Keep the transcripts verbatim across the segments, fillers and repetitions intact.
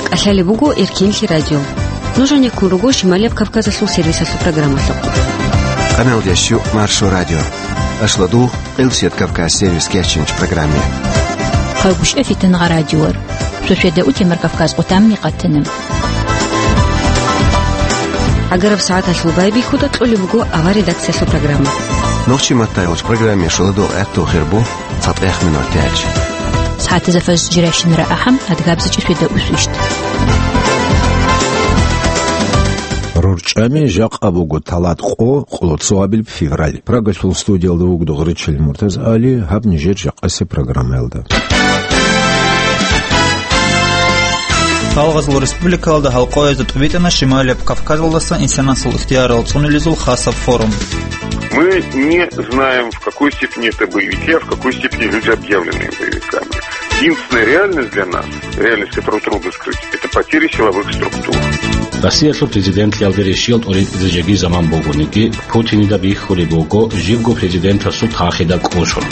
КӀалъалеб буго Эркенлъи радио. Нуж гьанеккун руго Шималияб Кавказалъул сервисалъул программалъухъ. Къаналдеш Маршо радио. Ашладу, Къилсият Кавказ сервис кечинч программе. Хъагушев Фитнагъа радиор. Шошеда утемар Кавказ къутамни къатана. Агараб сагӀаталъул байбихьуда кьолеб буго авар редакциялъул программа. Нохчи маттайолч программе шуладул гӀатту хирбу. ЦатӀех минут тяч. СагӀатазда фажр жирайщинара ахӀам, адгабзичӀи шведа усвищт. РорчӀами жакъа буго талат къо, къолоцо абил февраль. Прагалъул студиялда вугода гъречил Муртаз Али, гьаб нижер жакъасе программаялда. Гъалгъазул республикалда гьалкъоязда тӀубитӀана Шималияб Кавказалдаса инсанасул ихтиярал цӀунулезул хасаб форум. Мы не знаем, в какой степени это боевики, а в какой степени люди, объявленные боевиками. Единственная реальность для нас, реальность, которую трудно скрыть, это потери силовых структур. Россиялъул президентлъиялде рещиялда тӀуритӀизе жеги заман бугониги, Путинида бихьулеб буго, живго президентасул тахида кӀушун.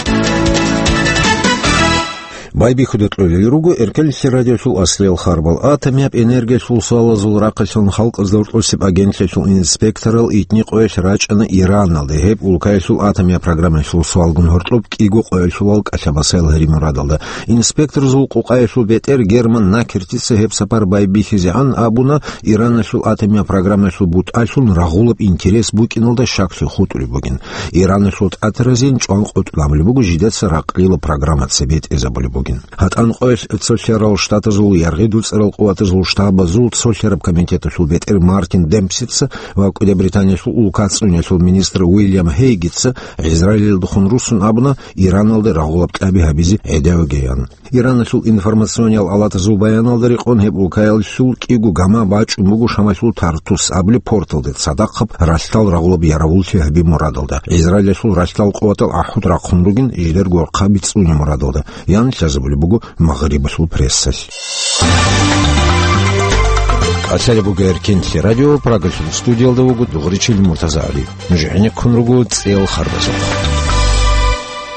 Байбихьуда кьолел руго Эркенлъи радиолъул аслиял харбал. Атомияб энергиялъул суалазул рахъалъан халкъазда гьоркьосеб агентлъиялъул инспекторал итни къоялъ рачӀана Ираналде, гьеб улкаялъул атомияб программаялъул суалгун гьоркьоб кӀиго къоялъулал кӀалъабасаял гьари мурадалда. Инспекторзул къукъаялъул бетӀер Герман Накертица гьеб сапар байбихьизегӀан абуна, Ираналъул атомияб программаялъул бутӀалъун рагъулаб интерес букӀиналда щаклъи хутӀулеб бугин. Ираналъул тӀатаразин чӀван къотӀун абулеб буго жидеца ракълила программа цебетӀезабулеб бугин. ГьатӀан къоялъ цолъарал штатазул яргъи дуцӀарал къуватазул штабазул цолъараб комитеталъул бетӀер Мартин Демпсица ва КӀуди Британиялъул улкацӀунялъул министр Уильям Хейгица ГӀизраилалдехун руссун абуна, Ираналде рагъулаб кьаби гьабизе гӀедавигеян. Ираналъул информациониял алатазул баяналда рекъон гьеб улкаялъул кӀиго гама бачӀун буго Шамалъул Тартус абулеб порталде цадахъаб ралъдал рагъулаб яравуллъи гьаби мурадалда. ГӀизраилалъул ралъдал къуватал гӀахӀуд рахъун ругин жидер горхъаби цӀуни мурадалда, ян лъазабулеб буго Магърибалъул прессалъ. КӀалъалеб буго Эркенлъи радио, Прагалъул студиялда вуго Дугъричил Муртаза Али. Нуж гӀенеккун руго цӀел харбазухъ.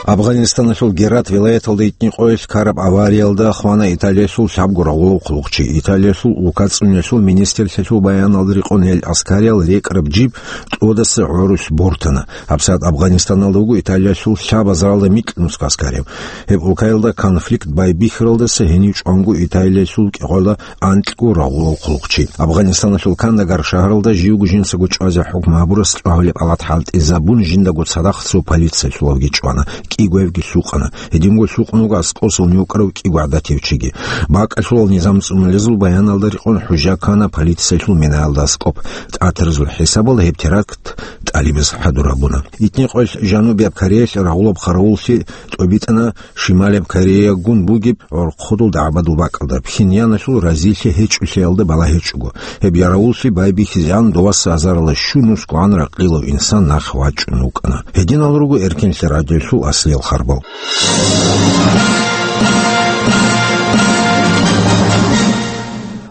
Афганистаналъул Герат вилаяталда итни къоялъ ккараб авариялда хвана Италиялъул лъабго рагъулав хъулухъчи. Италиялъул улкацӀунялъул министрлъиялъул баяналда рекъон гьел аскариял рекӀараб жиб тӀодаса гӀорулъ бортана. ГьабсагӀат Афганистаналда вуго Италиялъул лъабазаралда микьнусго аскарияв. Гьеб улкаялда конфликт байбихьаралдаса гьенив чӀванго Италиялъул кӀикъоялда анкьго рагъулав хъулухъчи. Афганистаналъул Кандагар шагьаралда живго жинцаго чӀвазе хӀукму гьабурас чӀвагьулеб палат хӀалтӀизабун жиндаго цадахъ цо полициялъулавги чӀвана, кӀигоявги лъукъана. Гьединго лъукъун вуго аскӀосун вукӀарав кӀиго гӀадатив чиги. БакӀалъулал низам цӀунулезул баяналда рекъон хӀужа ккана полициялъул минаялда аскӀоб. ТӀатаразул хӀисабалда гьеб теракт ТӀалибаз хӀадур гьабуна. Итни къоялъ Жанубияб Кореялъ рагъулаб хъаравуллъи тӀобитӀана Шималияб Кореягун бугеб гӀорхъудул дагӀбадул бакӀалда, Пхеньяналъул разилъи гьечӀолъиялда балагьичӀого. Гьеб яравуллъи байбихьизегӀан доваса азарала щун ускогӀан ракълилав инсан нахъ вачӀун вукӀана. Гьединал руго Эркенлъи радиолъул аслиял харбал.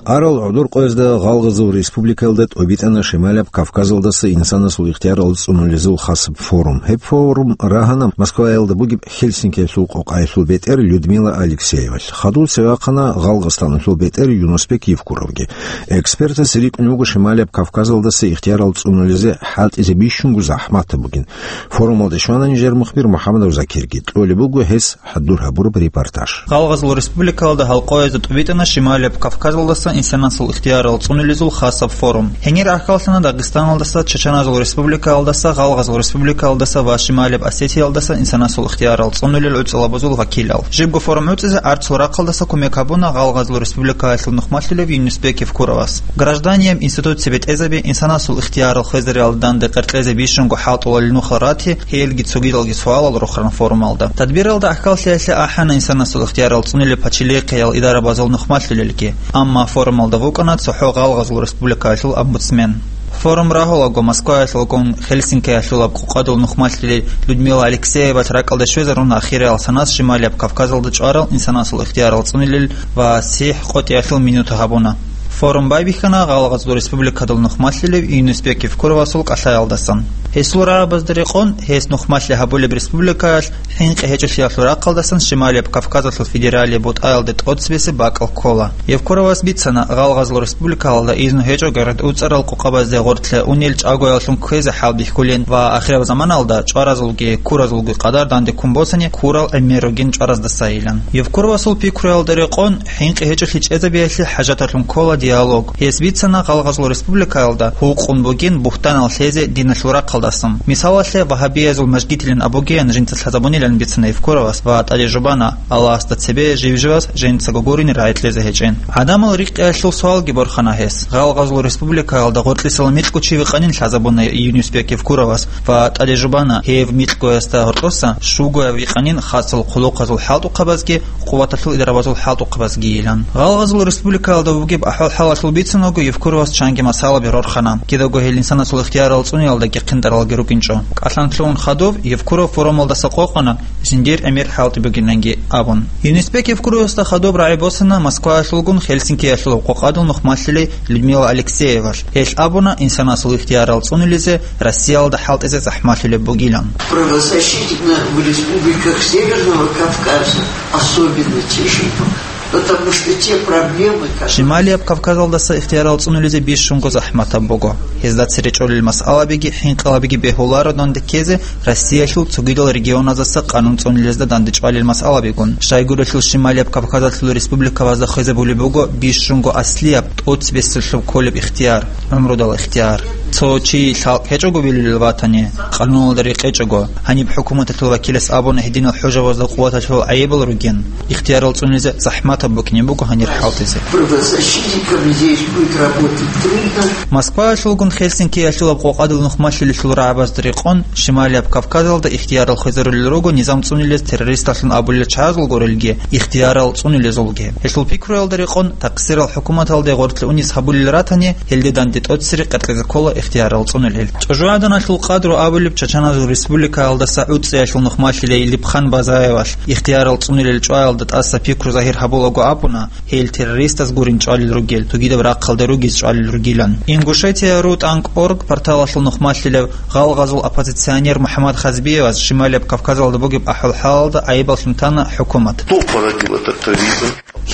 Арал гӀодор къоязда Гъалгъазул республикаялда тӀобитӀана Шималаб Кавказалдаса инсанасул ихтиярал цӀунулезул хасаб форум. Гьеб форум рагьана Москваялда бугеб Хельсинкиялъул къокъаялъул бетӀер Людмила Алексеевалъ. Хадув цеве вахъана Гъалгъастаналъул бетӀер Юнусбек Евкуровги. Экспертас рикӀкӀунеб буго Шималаб Кавказалдаса ихтиярал цӀунулезе хӀалтӀизе бищунго захӀматаб бугин. Форумалде щвана нижер мухбир МухӀамадов Закирги. Кьолеб буго гьес хӀадур гьабураб репортаж. Гъалгъазул республикалда гьалкъоязда тӀубитӀана Шималияб Кавказалдаса инсанасул ихтиярал цӀунулезул хасаб форум. Гьенир рахьаллъана Дагъистаналдаса, Чачаназул республикаялдаса, Гъалгъазул республикаялдаса ва Шималияб Осетиялдаса инсанасул ихтиярал цӀунулел гӀуцӀалабазул вакилал. Жибго форум гӀуцӀизе арцул рахъалдаса кумек гьабуна Гъалгъазул республикаялъул нухмалъулев Юнусбек Евкуровас. Гражданияб институт цебетӀезаби, инсанасул ихтиярал хвезариялда данде къеркьезе бищунго хӀалтӀулел нухал рати, гьелги цогидалги суалал рохаран форумалда. Тадбиралда гӀахьаллъиялъе ахӀана инсанасул ихтиярал цӀунулел пачалихъеял идарабазул нухмалъулелги. Амма форумалда вукӀана цохӀо Гъалгъазул республикаялъул омбудсмен. Форум рагьулаго Москваялъулгун Хельсинкиялъулаб къокъадул нухмалъулел Людмила Алексеевалъ ракӀалде щвезаруна ахириял санас Шималияб Кавказалда чӀварал инсанасул ихтиярал цӀунулел ва сихӀ къотӀиялъул минута гьабуна. Форум байбихьана Гъалгъазул республикадул нухмалъулев Юнусбек Евкуровасул кӀалъаялдасан. Гьесул рагӀабазда рекъон, гьес нухмалъи гьабулеб республикаялъ хӀинкъи гьечӀолъиялъул рахъалдасан Шималияб Кавказалъул федералияб бутӀаялде тӀоцебесеб бакӀал ккола. Евкуровас бицана, гъалгъазул республикаялда изну гьечӀого рагӀуцӀарал къокъабазде гъоркье унел чӀагояллъун кквезе хӀалбихьулин ва ахираб заманалда чӀваразулги куразулги къадар данде ккун босани, курал гӀемер ругин чӀвараздасайилан. Евкуровасул пикруялда рекъон, хӀинкъи гьечӀолъи чӀезабиялъе хӀажаталъун ккола диалог. Гьес бицана, гъалгъазул республикаялда гьукъун бугин бугьтанал лъезе диналъул рахъалдасан. Мисалалъе, вагьабиязул мажгитилан абугеян жинца лъазабунилан бицана Евкуровас ва тӀаде жубана, Аллагьасда цебе жив-живас жинцаго гурони рагӀи кьезе гьечӀин. ГӀадамал рикӀкӀиялъул суалги борхана гьес. Гъалгъазул республикаялда гъоркьисала микьго чи вихъанин лъазабуна Юнусбек Евкуровас ва тӀаде жубана, гьев микьгоясда гьоркьоса щугояв вихъанин хасал хъулухъазул хӀалтӀухъабазги къуваталъул идарабазул хӀалтӀухъабазгийилан. Гъалгъазул республикаялда бугеб ахӀвал-хӀалалъул бицунаго Евкуровас чанги масъалаби рорхана. Кидаго гьел инсанасул ихтиярал цӀуниялдаги хъинтӀаралги рукӀинчӀо. КӀалъан лъугӀун хадуб, Евкуров форумалдаса къокъана, жиндир гӀемер хӀалтӀи бугиланги абун. Юнусбек Евкуровасда хадуб рагӀи босана Москваялъулгун Хельсинкиялъул къокъадул нухмалъилей Людмила Алексеевалъ. Гьелъ абуна, инсанасул ихтиярал цӀунилизе Россиялда хӀалтӀизе захӀмалъулеб бугилан. Правозащитник в республиках Северного Кавказа особенно тяжело, потому что те проблемы, которые... Шималияб Кавказалдаса ихтиярал цӀунулизе бищунго захӀматаб буго. Гьезда цере чӀолел масъалабиги хӀинкъалабиги бегьуларо данде ккезе Россиялъул цогидал регионаздаса къанун цӀунилезда данде чӀвалел масъалабигун. Щайгурелъул Шималияб Кавказалъул республикабазда хвезабулеб буго бищунго аслияб тӀоцебесеб кколеб ихтияр, гӀумрудал ихтияр. Цо чи лъалкӀ гьечӀого вилулел ватани, къануналда рекъечӀого, гьаниб хӀукуматалъул вакилас абуна гьединал хӀужабазда къуваталъул гӀайибал ругин, ихтиярал цӀунизе захӀматаб букӀине буго гьанир хӀалтӀизе. Правозащитникам здесь будет работать трудно. Москваялъулгун Хельсинкиялъулаб къокъадул нухмалъилелъул рагӀабазда рекъон, Шималияб Кавказалда ихтиярал хвезарулел руго низам цӀунилез террористалъун абулел чагӀазул гурелги, ихтиярал цӀунилезулги. Гьелъул пикруялда рекъон, тахъсирал хӀукуматалде гъоркье унис гьабулел ратани, гьелде данде тӀоцере къеркьезе ккола ихтиярал цӀунилел. ЧӀужугӀаданалъул къадру абулеб Чачаназул республикаялдаса ГӀуцӀиялъул нухмалъилей Липхан Базаевалъ ихтиярал цӀунилел чӀваялда тӀаса пикру загьир гьабулаго абуна, гьел террористаз гурин чӀвалел ругел, тугидаб рахъалда ругез чӀвалел ругилан. Ингушетия ру тӀанкӀ орг порталалъул нухмалъилев гъалгъазул оппозиционер МухӀаммад Хазбиевас Шималияб Кавказалда бугеб ахӀвал-хӀалалда гӀайибаллъун тана хӀукумат. Кто породил этот терроризм?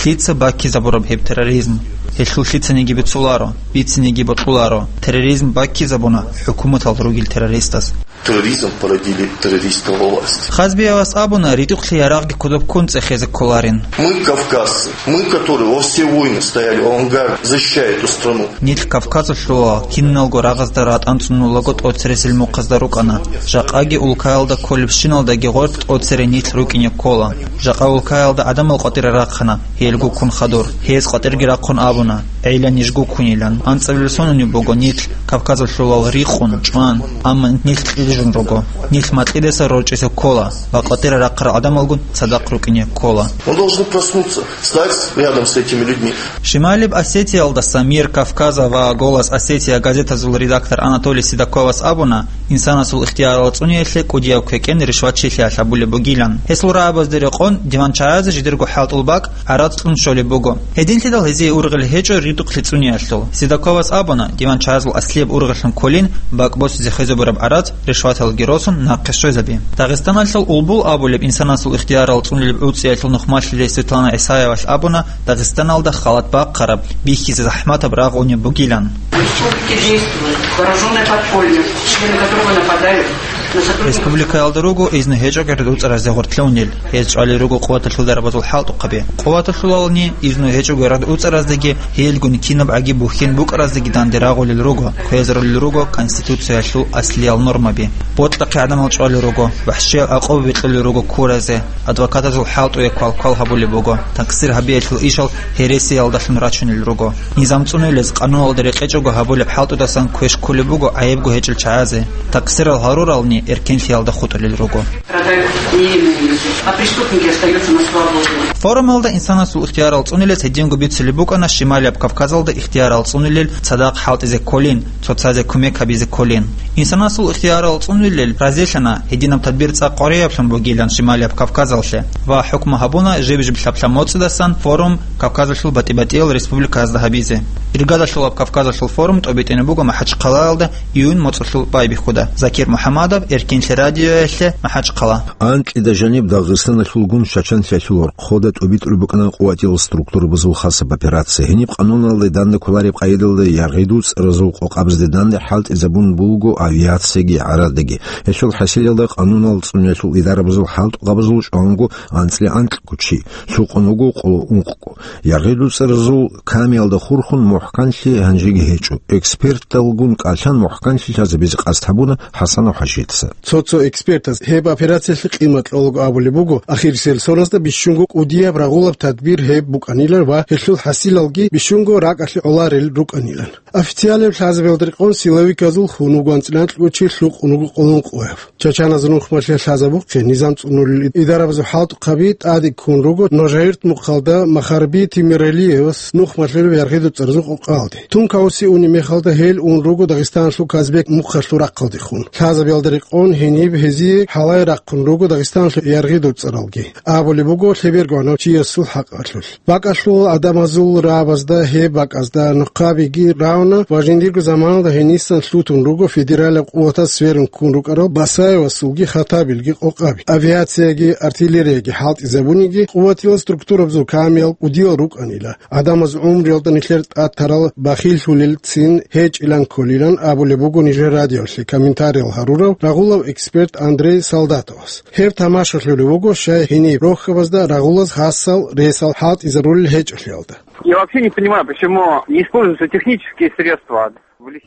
Лъица баккизабураб гьеб терроризм? Гьелъул лъицаниги бицуларо, бицинеги бокьуларо. Терроризм баккизабуна хӀукуматалда ругел террористаз. Терроризм породили террористы во власти. Хазбиявас абуна, ритӀухълъи ярагъги кодоб ккун цӀехезе кколарин. Мы, кавказцы, мы, которые во все войны стояли в авангарде, защищая эту страну. Нилъ Кавказалъулал, киналго рагъазда ратӀан цӀунулаго тӀоцересел мухъазда рукӀана. Жакъаги улкаялда кколебщиналдаги гъоркь тӀоцере нилъ рукӀине ккола. Жакъа улкаялда гӀадамал къватӀире рахъана, гьелгуккун хадур. Гьез къватӀирги рахъун абуна, гӀела нижгуккунилан. АнцӀабилеб сонунеб буго нилъ Кавказалъулал рикъун, чӀван, амма нилъ кьижун руго. Нилъ макьидаса рорчӀизе ккола ва къватӀире рахъарал гӀадамалгун цадахъ рукӀине ккола. Мы должны проснуться, стать рядом с этими людьми. Шималиб Осетиялдаса «Мир Кавказа» ва «Голос Осетия» газетазул редактор Анатолий Седоковас абуна, инсанасул ихтиярал цӀуниялъе кӀудияв квекӀен ришватчилъиялъ гьабулеб бугилан. Гьесул рагӀабазде рекъон, диванчагӀазе жидерго хӀалтӀул бакӀ гӀарац кьун щолеб буго. Гьединлъидал гьезие ургъел гьечӀо ритӀухълъи цӀуниялъул. Седоковас абуна, диванчагӀазул аслияб ургъеллъун кколин бакӀ босизе хвезабураб гӀарац, ришваталги росун, нахъе щвезаби. Дагъистаналъул Улбул абулеб инсанасул ихтиярал цӀунулеб ГӀуцӀиялъул нухмалъилей Светлана ГӀисаевалъ абуна, Дагъистаналда халат бахъараб, бихьизе захӀматаб рагъ гьунеб бугилан. В республике действует вооружённое подполье, члены которого нападают на сотрудников. Республикаялда руго изну гьечӀого рагӀуцӀаразде гъоркье унел. Гьез чӀвалел руго къуваталъул дарабазул хӀалтӀухъаби. Къуваталъулални, изну гьечӀого рагӀуцӀараздеги, гьелгун кинаб гӀаги бухьен букӀараздеги данде рагъулел руго, хвезарулел руго Конституциялъул аслиял нормаби. Бокьахъе гӀадамал чӀвалел руго, вахӀшиял гӀакъуба бикьулел руго куразе, адвокатазул хӀалтӀуе квалквал гьабулеб буго, такъсир гьабиялъул ишал гьересиялдалъун рачунел руго. Низам цӀунулез къануналда рекъечӀого гьабулеб хӀалтӀудасан квеш кколеб буго гӀайибго гьечӀел чагӀазе, такъсирал гьарурални эркенлъиялда хутӀулел руго. Страдают невинные люди, а преступники остаются на свободе. Форумалда инсанасул ихтиярал цӀунилез гьединго бицулеб букӀана Шималияб Кавказалда ихтиярал цӀунилел цадахъ хӀалтӀизе кколин, цоцазе кумек гьабизе кколин. Инсанасул ихтиярал цӀунилел разилъана гьединаб тадбир цӀакъ къварияблъун бугилан Шималияб Кавказалъе ва хӀукму гьабуна жиб-жиблъаб лъабмоцӀидасан форум Кавказалъул батӀи-батӀиял республикаязда гьабизе. Иргадалъулаб Кавказалъул форум тӀобитӀине буго МахӀачхъалаялда июнь моцӀалъул байбихьуда. Закир МухӀамадов, Эркинлъи радиоялъе, МахӀачхъала. Анкьида жаниб Дагъистаналъулгун Чачанлъиялъул гьоркьода тӀобитӀулеб букӀана къуватиял структурабазул хасаб операция. Гьениб къануналде данде кколареб къайдалда яргъи дуцӀаразул къокъабазде данде хӀалтӀизабун буго авиацияги гӀарадаги. Гьелъул хӀасилалда къанунал цӀуниялъул идарабазул хӀалтӀухъабазул чӀванго анцӀила анкьго чи, лъукъун вуго къоло ункъго. Яргъи дуцӀаразул камиялда хурхун мухӀканлъи гьанжеги гьечӀо. Эксперталгун кӀалъан мухӀканлъи лъазабизе къасд гьабуна ХӀасанов ХӀажица. Цо-цо экспертаз гьеб операциялъе къимат кьолаго абулеб буго, ахирисел соназда бищунго кӀудияб рагъулаб тадбир гьеб букӀанилан ва гьелъул хӀасилалги бищунго ракӀалъе гӀоларел рукӀанилан. Официалияб лъазабиялда рекъон силовиказул хун вуго анцӀила анкьго чи, лъукъун вуго къоло ункъояв. Чачаназул нухмалъе лъазабухъе низам цӀунулел идарабазул хӀалтӀухъаби тӀаде ккун руго Ножаирт мухъалда Махарби Тимиралиевас нухмалъулеб яргъи дуцӀаразул къокъаялде. Тункаоси унеб мехалда гьел ун руго Дагъистаналъул Казбек мухъалъул рахъалдехун. Лъазабиялда рекъон гьениб гьезие гьалай рахъун руго Дагъистаналъул яргъи дуцӀаралги. Абулеб буго, лъеберго гьанав чиясул хӀакъалъулъ. БакӀалъул гӀадамазул рагӀабазда гьеб бакӀазда нухъабиги равна ва жиндирго заманалда гьенисан лъутун руго федералияб къуватаз сверун ккун рукӀарал Басаевасулги Хаттабилги къокъаби. Авиацияги артиллерияги хӀалтӀизабуниги, къуватиял структурабазул камиял кӀудиял рукӀанила. ГӀадамаз гӀумруялда нилъер тӀад тарал бахиллъулелцин гьечӀилан кколилан абулеб буго нижер радиолъе комментариял гьарурав рагъулав эксперт Андрей Солдатовас. Гьеб тамашалъулев вуго, щай гьениб рохьабазда рагъулаз гьасал ресал хӀалтӀизарулел гьечӀолъиялда. Я вообще не понимаю, почему не используются технические средства.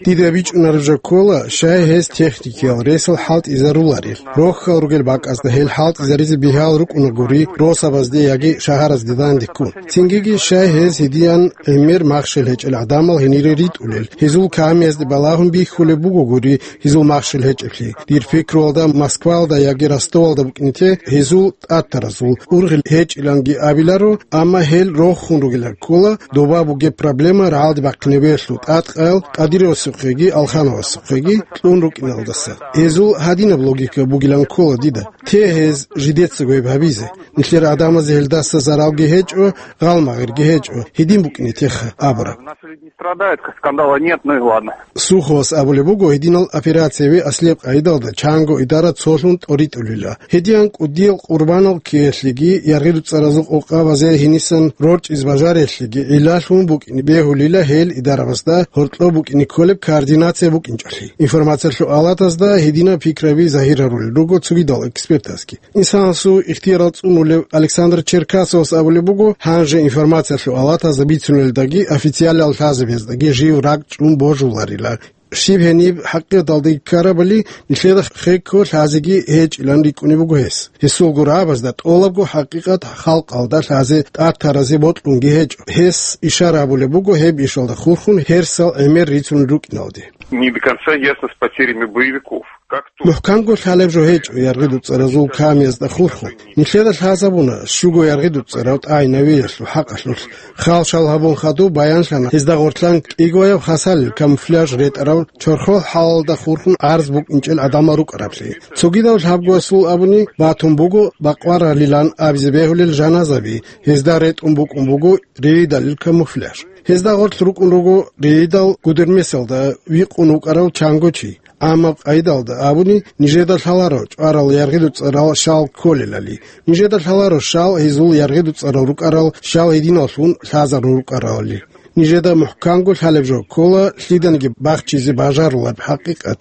Дида бичӀунареб жо ккола, щай гьез техникиял ресал хӀалтӀизаруларел. Рохьал ругел бакӀазда гьел хӀалтӀизаризе бигьал рукӀунагури росабазде яги шагьаразде дандеккун. Цингиги щай гьез гьедиян гӀемер махщел гьечӀел гӀадамал гьенире ритӀулел, гьезул камиязде балагьун бихьулеб бугогури гьезул махщел гьечӀеблъи. Дир пикруялда Москваялда яги Ростовалда букӀине те гьезул тӀатаразул ургъел гьечӀиланги абиларо, амма гьел рохун ругелан ккола, доба бугеб проблема рагӀалде бахъинабиялъул тӀадкъаял Кадыровасухъеги Алхановасухъеги кьун рукӀиналдаса. Гьезул гьадинаб логика бугилан ккола дида. Те гьез жидецаго гьеб гьабизе. Нилъер гӀадамазе гьелдаса заралги гьечӀо, гъалмагъирги гьечӀо, гьедин букӀине теха абураб. Не страдают, как скандала нет, ну и ладно. Суховас абулеб буго, гьединал операциябе аслияб къайдалда чанго идара цолъун тӀоритӀулила. Гьедиян кӀудиял къурбанал ккеялъеги, яргъи-дуцӀаразул къокъабазе гьенисан рорчӀиз бажарелъеги гӀиллалъун букӀине бегьулила гьел идарабазда гьоркьоб букӀине кколеб координация букӀинчӀолъи. Информациялъул алатазда гьединаб пикраби загьир гьарулел руго цогидал экспертазги. Инсанасул ихтиярал цӀунулев Александр Черкасовас абулеб буго, гьанже информациялъул алатазда бицунелдаги официалиял лъазабаздаги жив ракӀчӀун божуларила. Щиб гьениб хӀакъикъаталдаги ккарабали, нилъеда хекко лъазеги гьечӀилан рикӀкӀунеб буго гьес. Гьесулго рагӀабазда тӀолабго хӀакъикъат халкъалда лъазе тӀатаразе бокьунги гьечӀо. Гьес ишара гьабулеб буго гьеб ишалда хурхун гьерсал гӀемер рицун рукӀиналде. Не до конца ясно с потерями боевиков. МухӀканго лъалеб жо гьечӀо яргъи-дуцӀаразул камиязда хурхун. Нилъеда лъазабуна щуго яргъи-дуцӀарав тӀагӀинавиялъул хӀакъалъулъ. Хал-шал гьабун хадуб баянлъана гьезда гъорлъан кӀигояб хасалил камуфляж ретӀарав чорхол хӀалалда хурхун гӀарз букӀинчӀел гӀадамал рукӀараблъи. Цогидав лъабгоясул абуни батун буго бакъваралилан абизе бегьулел жаназаби, гьезда ретӀун букӀун буго рейдалил камуфляж. Гьезда гъорлъ рукӀун руго рейдал гудермесалда викъун вукӀарав чанго чи. Амма къайдалда абуни, нижеда лъаларо чӀварал яргъи-дуцӀарал щал кколелали. Нижеда лъаларо щал гьезул яргъи-дуцӀарал рукӀарал щал гьединаллъун лъазарун рукӀаралали. Нижеда мухӀканго лъалеб жо ккола лъиданиги бахчизе бажарулаб хӀакъикъат,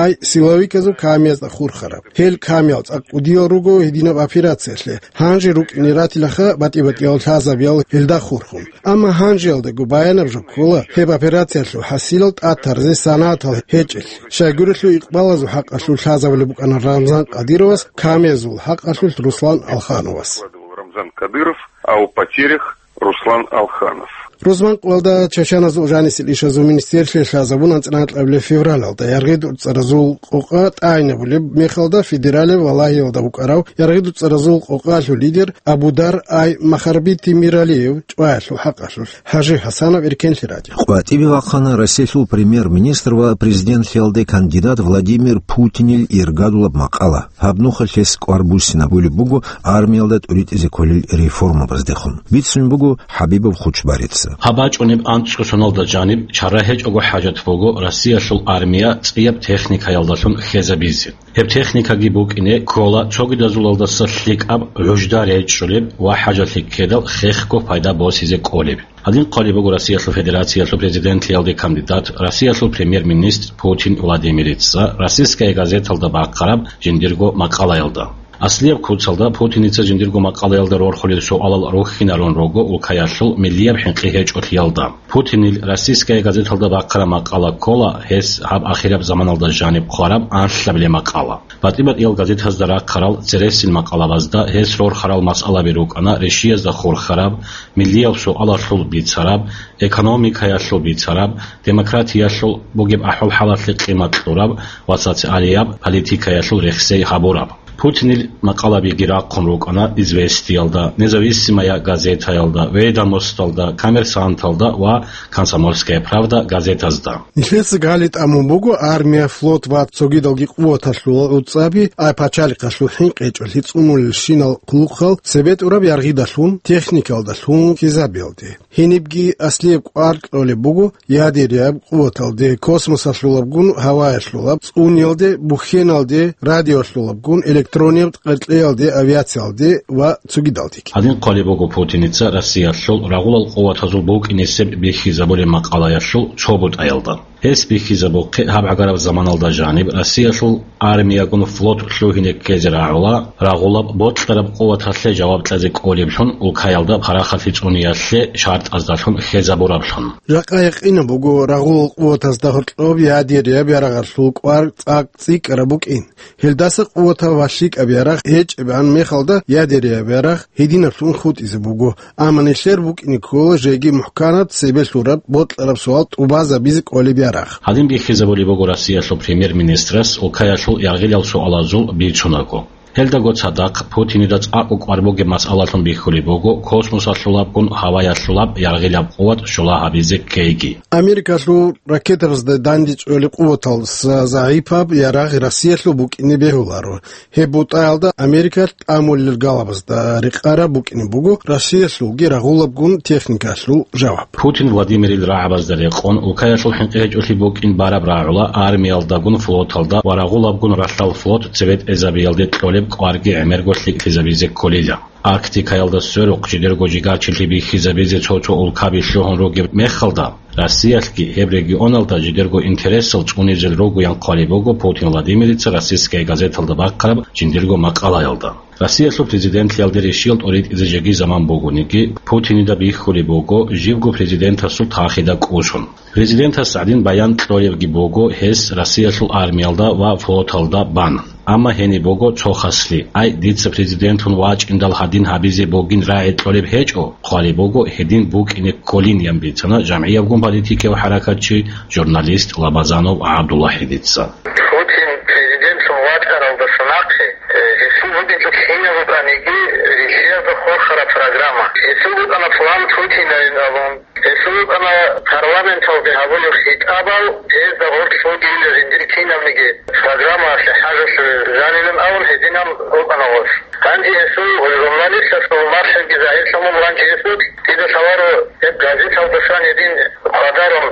ай силовиказул камиязда хурхараб. Гьел камиял цӀакъ кӀудиял руго гьединаб операциялъе, гьанже рукӀине ратилаха батӀи-батӀиял лъазабиял гьелда хурхун. Амма гьанжеялдаго баянаб жо ккола гьеб операциялъул хӀасилал тӀатаразе санагӀатал гьечӀелъи. Щайгурелъул икъбалазул хӀакъалъулъ лъазабулеб букӀана Рамзан Кадыровас, камиязул хӀакъалъулъ Руслан Алхановас. Рамзан Кадыров, а о потерях Руслан Алханов. Рузманкъоялда чачаназул жанисел ишазул министерстве лъазабун анцӀила кьабилеб февралалда яргъи дуцӀаразул къокъа тӀагӀинабулеб мехалда федералияб Валагьиялда вукӀарав яргъи дуцӀаразул къокъалъул лидер Абудар ай Махарбити Миралиев чӀваялъул хӀакъалъулъ. Гьажи Гьасанов, Эркенлъи радио. КъватӀибе вахъана Россиялъул премьер-министр ва президентлъиялде кандидат Владимир Путинил иргадулаб макъала. Гьаб нухалъ гьес кӀвар буссинабулеб буго армиялда тӀуритӀизе кколел реформабаздехун, бицунеб буго ХӀабибов Хучбарица. Гьаб бачӀунеб анцӀго соналда жаниб чара гьечӀого хӀажат буго Россиялъул армия цӀияб техникаялдалъун хьезабизе. Гьеб техникаги букӀине ккола цогидазулалдаса лъикӀаб гӀужда речӀчӀулеб ва хӀажалъи ккедал хехго пайда босизе кӀолеб. Гьадин хъвалеб буго Россиялъул Федерациялъул президентлъиялде кандидат, Россиялъул премьер-министр Путин Владимирица «Российская газеталда» бахъараб жиндирго макъалаялда. Аслияб куцалда Путиница жиндирго макъалаялда рорхулел суалал рухьинарун руго улкаялъул миллияб хӀинкъи гьечӀолъиялда. Путинил «Российская газеталда» бахъараб макъала ккола гьес гьаб ахираб заманалда жаниб хъвараб анлъабилеб макъала. БатӀи-батӀиял газетазда рахъарал цересел макъалабазда гьес рорхарал масъалаби рукӀана ришиязда хурхараб, миллиял суалалъул бицараб, экономикаялъул бицараб, демократиялъул бугеб ахӀвал-хӀалалъе къимат кьураб ва социалияб политикаялъул рехсей гьабураб. Путинил макъалабиги рахъун рукӀана «Известиялда», «Независимая газетаялда», «Ведомосталда», «Коммерсанталда» ва «Комсомольская правда» газетазда. Нилъеца гали тӀамун буго армия, флот ва цогидалги къуваталъул уцӀаби, ай пачалихъалъул хӀинкъи гьечӀолъи цӀунулелщинал хъулухъал цебетӀураб яргъидалъун, техникалдалъун хьизабиялде. Гьенибги аслияб кӀвар кьолеб буго ядеряб къуваталде, космосалъулабгун, гьаваялъулаб цӀуниялде, бухьеналде, радиоялъулабгун, электронияб къеркьеялде, авиациялде ва цогидалдеги. Гьадин хъвалеб буго Путиница Россиялъул рагъулал къуватазул букӀинесеб бихьизабулеб макъалаялъул цо бутӀаялда. Гьес бихьизабухъе гьаб гӀагараб заманалда жаниб Россиялъул армиягун флот лъугьине ккезе рагӀула, рагъулаб бокьараб къуваталъе жаваб кьезе кӀолеблъун, улкаялда парахалъи цӀуниялъе шартӀаздалъун хьезабураблъун. Жакъа якъинаб буго рагъулал къуватазда гьоркьоб ядеряб ярагъалъул кӀвар цӀакъ цӀикӀкӀараб букӀин. Гьелдаса къуватаб ва лъикӀаб ярагъ гьечӀебан мехалда ядеряб ярагъ гьединаблъун хутӀизе буго, амма нилъер букӀине ккола жеги мухӀканаб цебе лъураб бокьараб суал тӀубазабизе кӀолеб ярагъ. Гьадин бихьизабулеб буго Россиялъул премьер-министрас улкаялъул яргъилал суалазул бицунаго. Гьелдаго цадахъ Путинида цӀакъго кӀвар бугеб масъалалъун бихьулеб буго космосалъулабгун гьаваялъулаб яргъилаб къуват щула гьабизе ккейги. Америкалъул ракетабазда дандечӀолеб къуваталдаса загӀипаб ярагъ Россиялъул букӀине бегьуларо. Гьеб бутӀаялда Америкалъ тӀамулел галабазда рекъараб букӀине буго Россиялъулги рагъулабгун техникалъул жаваб. Путин Владимирил рагӀабазда рекъон, улкаялъул хӀинкъи гьечӀолъи букӀин бараб рагӀула армиялдагун флоталда ва рагъулабгун ралъдал флот цебетӀезабиялде кьолеб кӀварги гӀемерго лъикӀлъизабизе кколила. Арктикаялда сверухъ жидерго жигарчилъи бихьизабизе цо-цо улкаби лъугьун ругеб мехалда, Россиялъги гьеб регионалда жидерго интересал цӀунизел ругоян хъвалеб буго Путин Владимирица «Российская газеталда» бахъараб жиндирго макъалаялда. Россиялъул президентлъиялде ришиял тӀуритӀизе жеги заман бугониги, Путинида бихьулеб буго живго президентасул тахида кӀусун. Президентас гӀадин баян кьолебги буго гьес Россиялъул армиялда ва флоталда бан. Амма гьениб буго цо хаслъи: «Ай, дица президентлъун вачӀиндал гьадин гьабизе бугин рагӀи кьолеб гьечӀо, хъвалеб буго гьедин букӀине кколин», — ян бицана жамгӀиябгун политикияв хӀаракатчи, журналист Лабазанов ГӀабдулвахӀидица. Путин президентлъун вачӀаралдаса нахъе, э, гьесул бугеб кинаб букӀаниги, ришиязда хурхараб программа. Гьесул букӀана план Путинайин абун. Гьесул букӀана парламенталде гьабулеб хитӀабал, гьезда гъорлъ бугейилан жиндир кинабниги программаялъе хӀажалъулел жанилан абун гьединан букӀана гъос. Гьанже гьесул журналистасул малъиги загьирлъун буго, гьанже гьесул дида лъаларо гьеб газеталдасан гьедин хъвадарун,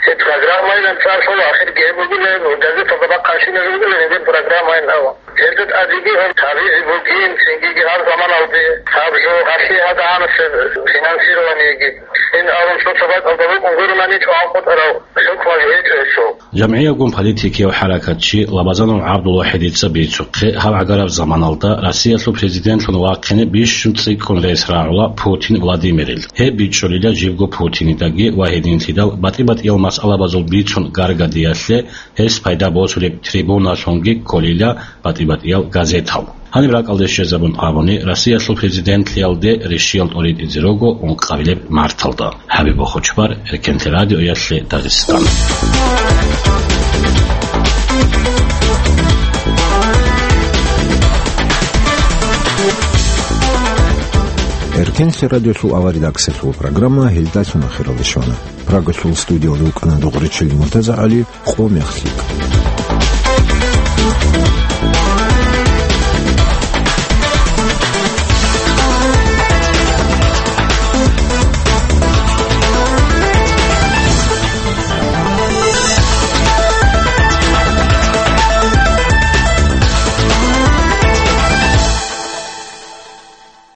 гьеб программайилан цӀар лъула, ахирги гьеб бугила, газеталда бахъанщинаб бугила гьедин программайилан абун. Гьелда тӀадеги гьеб гьабизе бугин, цинги гьаб заманалде гьаб жо гьалъие гьадагӀанасеб финансированиеги ин абун цо-цо бакӀалда букӀун гурони чӀван хутӀарал хӀукмаби гьечӀо гьесул. ЖамгӀиябгун политикияв хӀаракатчи Лабазанов ГӀабдулвахӀидица бицухъе, гьаб гӀагараб заманалда Россиялъул президентлъун вахъине бищун цӀикӀкӀун рес рагӀула Путин Владимирил. Гьеб бичӀчӀулила живго Путинидаги ва гьединлъидал батӀи-батӀиял масъалабазул бицун гаргадиялъе гьес пайда босулеб трибуналъунги кколила батӀи-батӀиял газетал. Гьаниб ракӀалде щвезабун абуни, Россиялъул президентлъиялде рещтӀиял тӀоритӀизе руго ункъабилеб марталда. ХӀабиб Бохочбар, Эркенлъи радиоялъе, Дагъистан. Эркенлъи радиолъул авар редакциялъул программа гьелдалъун ахиралде щвана. Прагалъул студиялда вукӀана Дугъричил МуртазагӀали. Къо мехлъи.